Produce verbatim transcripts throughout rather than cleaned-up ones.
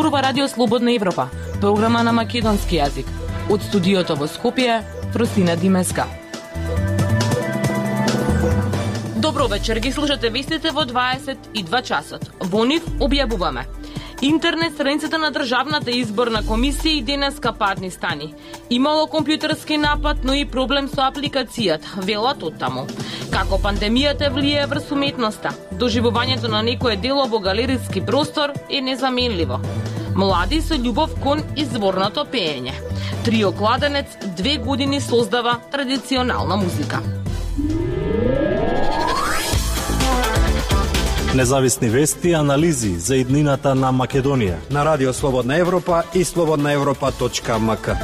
зборува Радио Слободна Европа, програма на македонски јазик. Од студиото во Скопје, Фростина Димеска. Добро вечер, ги слушате вестите во дваесет и два часот. Во нив објавуваме: интернет страницата на Државната изборна комисија и денеска парни стани. Имало компјутерски напад, но и проблем со апликацијата, велат од таму. Како пандемијата влијае врз уметноста, доживувањето на некое дело во галериски простор е незаменливо. Млади со љубов кон изворното пеење. Трио Кладенец две години создава традиционална музика. Независни вести и анализи за иднината на Македонија на Радио Слободна Европа и слободна европа точка ем ка.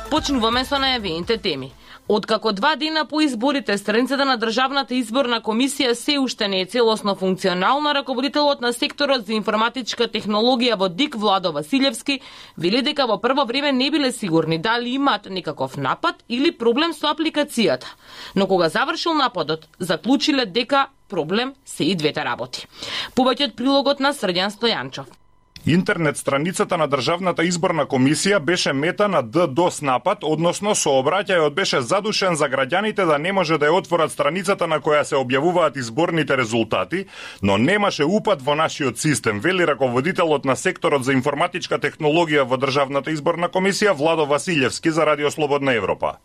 Почнуваме со најавените теми. Откако два дена по изборите, страницата на Државната изборна комисија се уште не е целосно функционална, раководителот на секторот за информатичка технологија во ДИК Владо Василевски вели дека во прво време не биле сигурни дали имаат некаков напад или проблем со апликацијата. Но кога завршил нападот, заклучиле дека проблем се и двете работи. Повеќе од прилогот на Срđan Стојанчов. Интернет страницата на Државната изборна комисија беше мета на ДДoS напад, односно сообраќајот беше задушен за граѓаните да не може да ја отворат страницата на која се објавуваат изборните резултати, но немаше упад во нашиот систем, вели раководителот на секторот за информатичка технологија во Државната изборна комисија Владо Василевски за Радио Слободна Европа.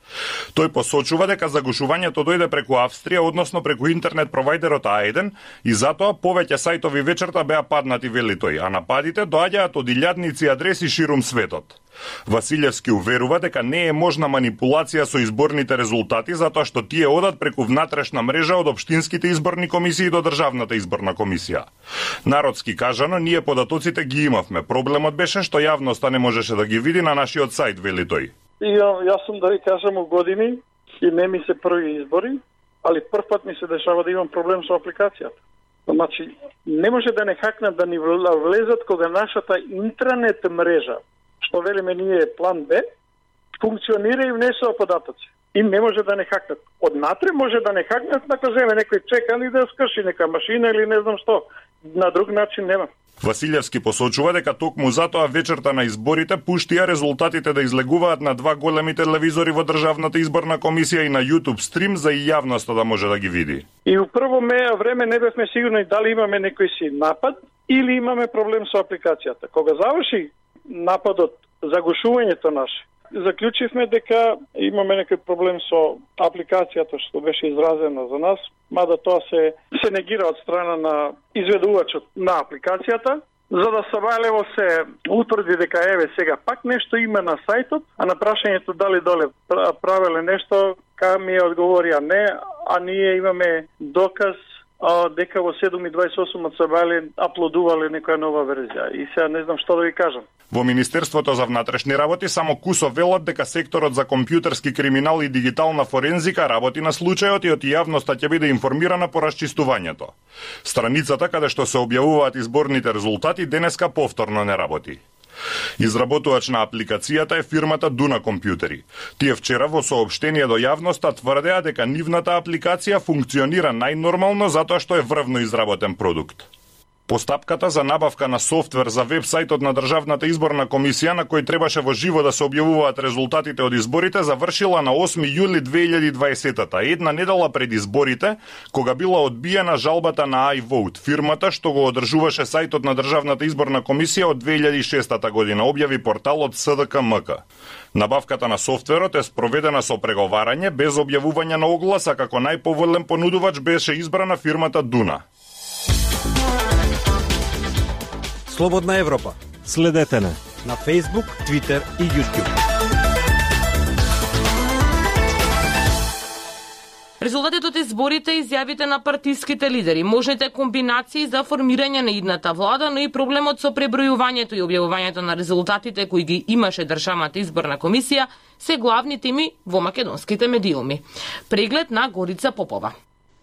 Тој посочува дека загушувањето дојде преку Австрија, односно преку интернет провајдерот А еден, и затоа повеќе сајтови вечерта беа паднати, вели тој, а нападите доаѓаат од илјадници адреси ширум светот. Василевски уверува дека не е можна манипулација со изборните резултати, затоа што тие одат преку внатрешна мрежа од општинските изборни комисии до Државната изборна комисија. Народски кажано, ние податоците ги имавме. Проблемот беше што јавноста не можеше да ги види на нашиот сајт, вели тој. И, јас сум, да ви кажам, у години и не ми се први избори, али прв пат ми се дешава да имам проблем со апликацијата. Значи, не може да не хакнат да ни влезат кога нашата интранет мрежа, што велиме ние план Б, функционира и внесува податоци. И не може да не хакнат. Однатре може да не хакнат, нака земе некој чекан и да скрши нека машина или не знам што. На друг начин нема. Василевски посочува дека токму затоа вечерта на изборите пуштија резултатите да излегуваат на два големи телевизори во Државната изборна комисија и на YouTube стрим за и јавноста да може да ги види. И у прво време не бевме сигурни дали имаме некој си напад или имаме проблем со апликацијата. Кога заврши нападот, загушувањето наше, заклучивме дека имаме некој проблем со апликацијата што беше изразена за нас, мада тоа се, се негира од страна на изведувачот на апликацијата, за да Савајлево се утврди дека еве сега пак нешто има на сајтот, а на прашањето дали доле правеле нешто, ка ми одговорија не, а ние имаме доказ а, дека во седум и дваесет и осум од Савајле аплодувале некоја нова верзија. И сега не знам што да ви кажам. Во Министерството за внатрешни работи само кусо велат дека секторот за компјутерски криминал и дигитална форензика работи на случајот и од јавноста ќе биде информирана по расчистувањето. Страницата каде што се објавуваат изборните резултати денеска повторно не работи. Изработувач на апликацијата е фирмата Дуна Компјутери. Тие вчера во соопштение до јавноста тврдеа дека нивната апликација функционира најнормално затоа што е врвно изработен продукт. Постапката за набавка на софтвер за веб-сајтот на Државната изборна комисија, на кој требаше во живо да се објавуваат резултатите од изборите, завршила на осми јули две илјади и дваесета, една недела пред изборите, кога била одбиена жалбата на iVote, фирмата што го одржуваше сајтот на Државната изборна комисија од две илјади и шеста година, објави порталот С Д К М К. Набавката на софтверот е спроведена со преговарање без објавување на оглас, а како најповолен понудувач беше избрана фирмата Дуна. Слободна Европа. Следете не на Facebook, Twitter и YouTube. Резултатите од изборите, изјавите на партиските лидери, можните комбинации за формирање на идната влада, но и проблемот со пребројувањето и објавувањето на резултатите кои ги имаше Државната изборна комисија се главни теми во македонските медиуми. Преглед на Горица Попова.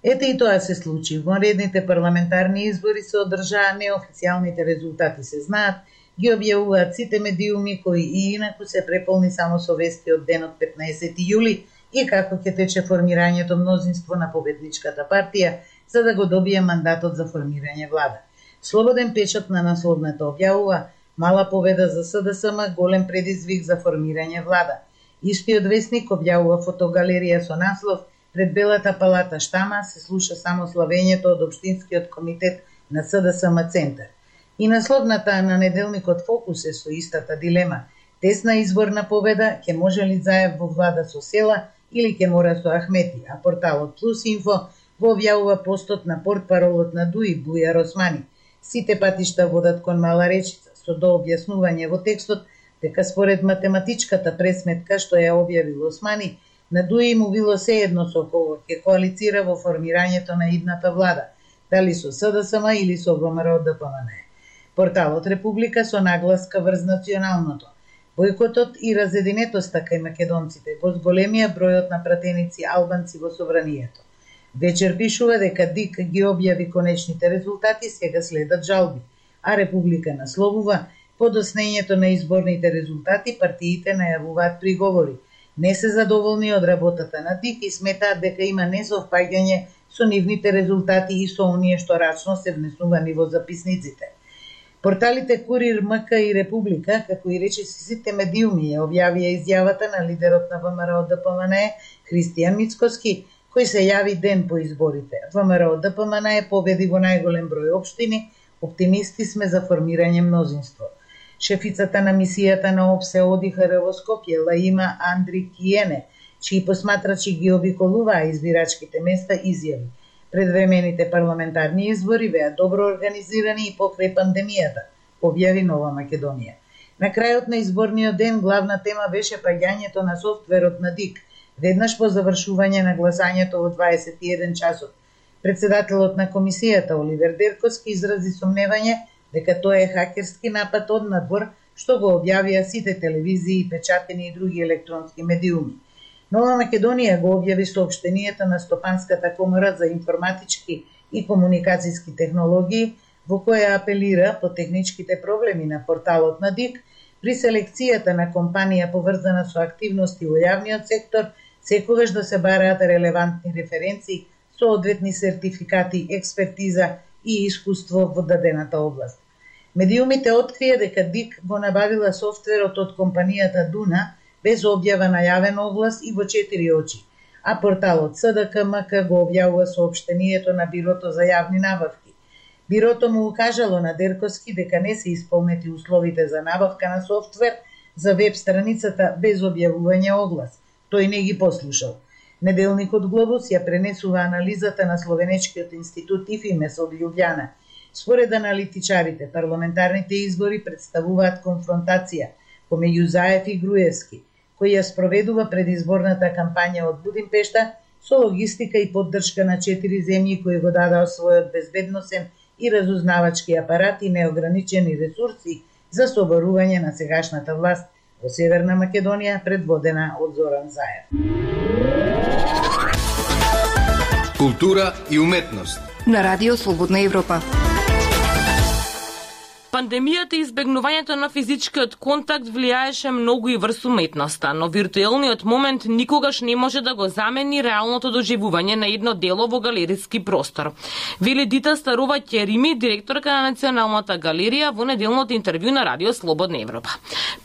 Ете и тоа се случи. Вонредните парламентарни избори се одржаа, неофицијалните резултати се знаат, ги објавуваат сите медиуми кои и инаку се преполни само со вести од денот петнаесети јули и како ќе тече формирањето мнозинство на победничката партија за да го добие мандатот за формирање влада. Слободен печат на насловната објавува мала победа за СДСМ, голем предизвик за формирање влада. Истиот весник објавува фотогалерија со наслов "Пред Белата палата штама се слуша само славењето од Општинскиот комитет на СДСМ Центар". И насловната на неделникот Фокус е со истата дилема. Тесна изборна победа, ќе може ли Заев во влада со села или ќе мора со Ахмети, а порталот Плюс Инфо го објавува постот на портпаролот на ДУИ Бујар Османи. Сите патишта водат кон Мала речица, со дообјаснување во текстот дека според математичката пресметка што ја објавил Османи, на ДУИ му било сеедно со кого ќе коалицира во формирањето на идната влада, дали со СДСМ или со ВМРО Д П М Н. Порталот Република со нагласка врз националното. Бојкотот и разединетоста кај македонците го зголемија бројот на пратеници албанци во собранието. Вечер пишува дека ДИК ги објави конечните резултати, сега следат жалби, а Република насловува подоснењето на изборните резултати, партиите најавуваат приговори. Не се задоволни од работата на ДИК и сметаат дека има несовпаѓање со нивните резултати и со оние што рачно се внесувани во записниците. Порталите Курир, МК и Република, како и речиси сите медиуми, ја објавија изјавата на лидерот на ВМРО Д П М Н Христијан Мицкоски, кој се јави ден по изборите. ВМРО Д П М Н победи во најголем број општини, оптимисти сме за формирање мнозинство. Шефицата на мисијата на ОПСЕ О Д И Х Р во Скопје, Лаима Андри Киене, чии посматрачи ги обиколуваа избирачките места, изјави: "Предвремените парламентарни избори беа добро организирани и покрај пандемијата", објави Нова Македонија. На крајот на изборниот ден главна тема беше паѓањето на софтверот на ДИК, веднаш по завршување на гласањето во дваесет и еден часот. Председателот на комисијата Оливер Дерковски изрази сомневање дека тоа е хакерски напад од надвор, што го објавија сите телевизии, печатени и други електронски медиуми. Нова Македонија го објави соопштенијата на Стопанската комора за информатички и комуникацијски технологии, во која апелира по техничките проблеми на порталот на ДИК при селекцијата на компанија поврзана со активности во јавниот сектор, секогаш да се бараат релевантни референции, соодветни сертификати, експертиза и искуство во дадената област. Медиумите открија дека ДИК го набавила софтверот од компанијата Дуна без објава на јавен оглас и во четири очи, а порталот С Д К М К го објавува соопштението на Бирото за јавни набавки. Бирото му укажало на Дерковски дека не се исполнети условите за набавка на софтвер за веб страницата без објавување оглас. Тој не ги послушал. Неделникот Глобус ја пренесува анализата на Словенечкиот институт ИФИМЕС од Лјубљана. Според аналитичарите, парламентарните избори представуваат конфронтација помеѓу Заев и Груевски, кој ја спроведува предизборната кампања од Будимпешта со логистика и поддршка на четири земји кои го дадаа својот безбедносен и разузнавачки апарат и неограничени ресурси за соборување на сегашната власт во Северна Македонија, предводена од Зоран Заев. Култура и уметност на Радио Слободна Европа. Пандемијата и избегнувањето на физичкиот контакт влијаеше многу и врз уметноста, но виртуелниот момент никогаш не може да го замени реалното доживување на едно дело во галериски простор. Вели Дита Старова Ќерими, директорка на Националната галерија, во неделното интервју на Радио Слободна Европа.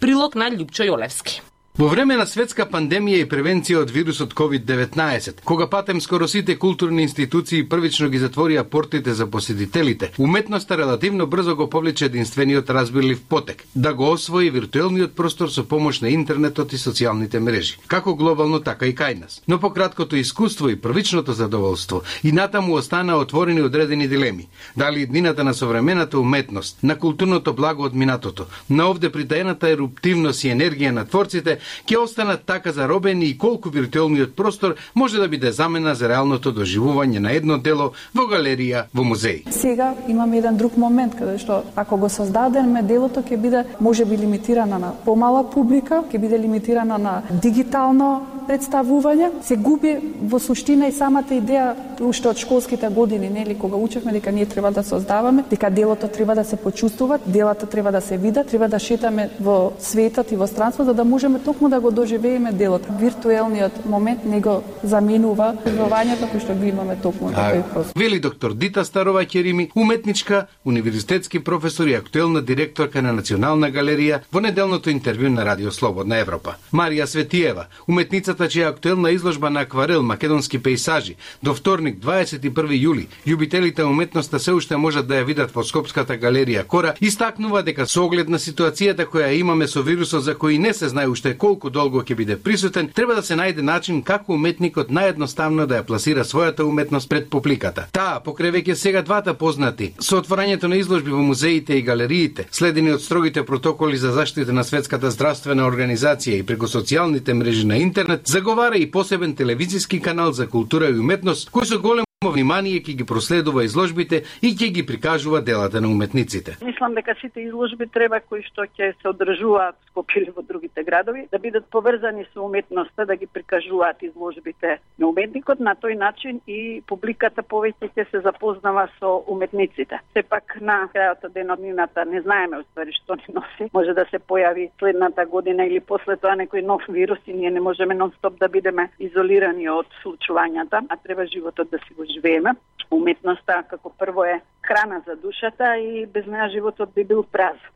Прилог на Љупчо Јолевски. Во време на светска пандемија и превенција од вирусот ковид деветнаесет, кога патем скоро сите културни институции првично ги затворија портите за посетителите, уметноста релативно брзо го повлече единствениот разбирлив потек, да го освои виртуелниот простор со помош на интернетот и социјалните мрежи, како глобално, така и кај нас. Но по краткото искуство и првичното задоволство, и натаму останаа отворени одредени дилеми. Дали иднината на современата уметност, на културното благо од минатото, на овде притаената еруптивност и енергија на творците, ќе останат така заробени и колку виртуелниот простор може да биде замена за реалното доживување на едно дело во галерија, во музеј. Сега имаме еден друг момент каде што ако го создадеме делото ќе биде можеби лимитирана на помала публика, ќе биде лимитирана на дигитално представување, се губи во суштина и самата идеја уште од школските години, нели, кога учевме дека ние треба да создаваме, дека делото треба да се почувствува, делата треба да се видат, треба да шетаме во светот и во странство за да можеме токму да го доживееме делото. Виртуелниот момент не го заменува преживувањето кој што го имаме токму на тој простор. Вели доктор Дита Старова Керими, уметничка, универзитетски професор и актуелна директорка на Национална галерија во неделното интервју на Радио Слободна Европа. Марија Светиева, уметницата чија актуелна изложба на акварел македонски пејсажи до вторник дваесет и први јули љубителите уметноста се уште можат да ја видат во Скопската галерија Кора, истакнува дека со оглед на ситуацијата која имаме со вирусот за кој не се знае уште колку долго ќе биде присутен, треба да се најде начин како уметникот наједноставно да ја пласира својата уметност пред публиката. Таа покрај веќе сега двата познати со отворањето на изложби во музеите и галериите, следени од строгите протоколи за заштита на Светската здравствена организација и преку социјалните мрежи на интернет, заговара и посебен телевизиски канал за култура и уметност кој со голем внимание ќе ги проследува изложбите и ќе ги прикажува делата на уметниците. Мислам дека сите изложби треба кои што ќе се одржуваат во Скопје или во другите градови да бидат поврзани со уметноста, да ги прикажуваат изложбите на уметникот, на тој начин и публиката повеќе ќе се запознава со уметниците. Сепак на крајот од деноднината не знаеме уствари што ни носи. Може да се појави следната година или после тоа некој нов вирус и ние не можеме нон-стоп да бидеме изолирани од случувањата, а треба животот да си го живееме. Уметноста како прво е храна за душата и без неа животот би бил празен.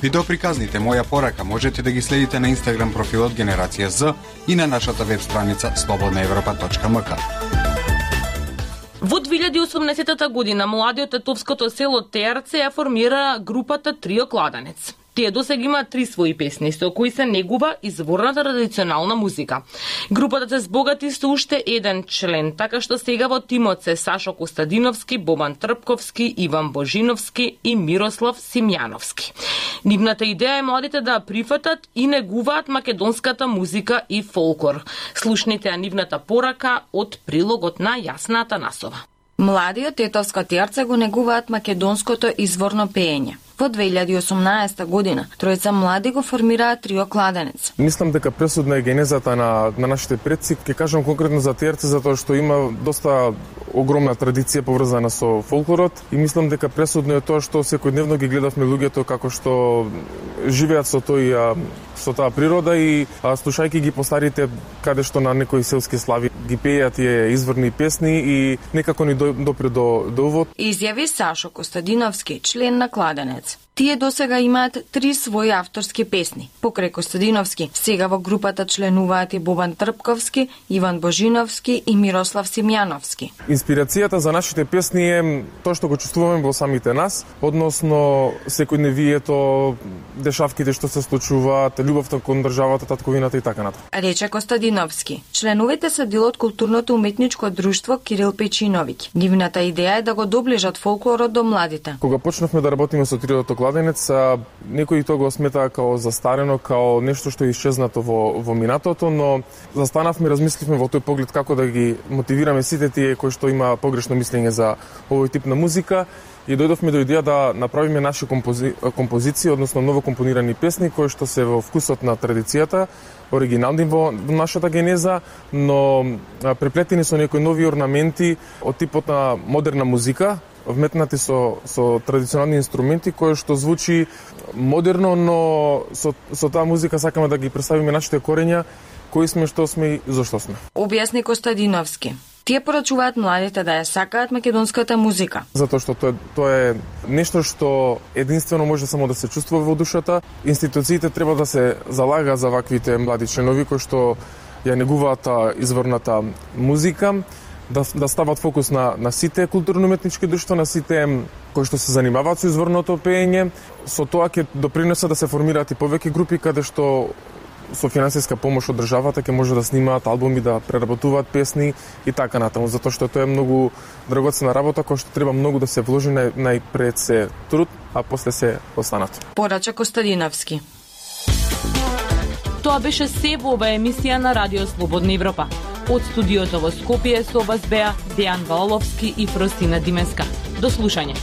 Видеоприказните Моја порака можете да ги следите на Инстаграм профилот Генерација З и на нашата веб страница слободна европа точка ем ка. Во две илјади и осумнаесета година младиот етовското село Теарце ја формира групата Трио Кладенец. Тие досега имаат три своји песни, со кои се негува изворната традиционална музика. Групата се збогати со уште еден член, така што сега во тимот се Сашо Костадиновски, Бобан Трпковски, Иван Божиновски и Мирослав Симјановски. Нивната идеја е младите да прифатат и негуваат македонската музика и фолклор. Слушнете ја нивната порака од прилогот на Јасна Атанасова. Младиот етовско Теарце го негуваат македонското изворно пеење. Во две илјади и осумнаесета година тројца млади го формираат Трио Кладенец. Мислам дека пресудна е генезата на, на нашите предци. Ќе кажам конкретно за Теарце затоа што има доста огромна традиција поврзана со фолклорот и мислам дека пресудно е тоа што секојдневно ги гледавме луѓето како што живеат со тој со таа природа и а, слушајќи ги по старите каде што на некои селски слави ги пееат тие изворни песни и некако ни допре до до увод. Изјави Сашо Костадиновски, член на Кладенец. Тие досега имаат три своји авторски песни. Покрај Костадиновски, сега во групата членуваат и Бобан Трпковски, Иван Божиновски и Мирослав Симјановски. Инспирацијата за нашите песни е тоа што го чувствуваме во самите нас, односно секојдневието, дешавките што се случуваат, љубовта кон државата, татковината и така натаму. Рече Костадиновски. Членовите се дел од културното уметничко друштво Кирил Печиновиќ. Нивната идеја е да го доближат фолклорот до младите. Кога почнавме да работиме со Триото Кладенец, некои тоа го сметаа као застарено, као нешто што е исчезнато во, во минатото, но застанавме, размисливме во тој поглед како да ги мотивираме сите тие кои што има погрешно мислење за овој тип на музика и дојдовме до идеја да направиме наши компози... композиции, односно ново компонирани песни кои што се во вкусот на традицијата, оригинални во нашата генеза, но преплетени со некои нови орнаменти од типот на модерна музика, вметнати со, со традиционални инструменти, кои што звучи модерно, но со, со таа музика сакаме да ги представиме нашите корења, кои сме, што сме и зошто сме. Објасни Костадиновски. Тие порачуваат младите да ја сакаат македонската музика. Затоа што тоа, тоа е нешто што единствено може само да се чувствува во душата. Институциите треба да се залага за ваквите млади членови кои што ја негуваат изворната музика, да, да стават фокус на, на сите културно-уметнички друштва, на сите кои што се занимаваат со изворното пеење. Со тоа ќе допринесе да се формираат и повеќе групи каде што со финансиска помош од државата ќе може да снимаат албуми, да преработуваат песни и така натаму, затоа што тоа е многу драгоцена работа која што треба многу да се вложи, најпред се труд, а после се останат. Порача Костадиновски. Тоа беше се во оваа емисија на Радио Слободна Европа. Од студиото во Скопје со вас беа Дејан Валовски и Фростина Димеска. До слушање.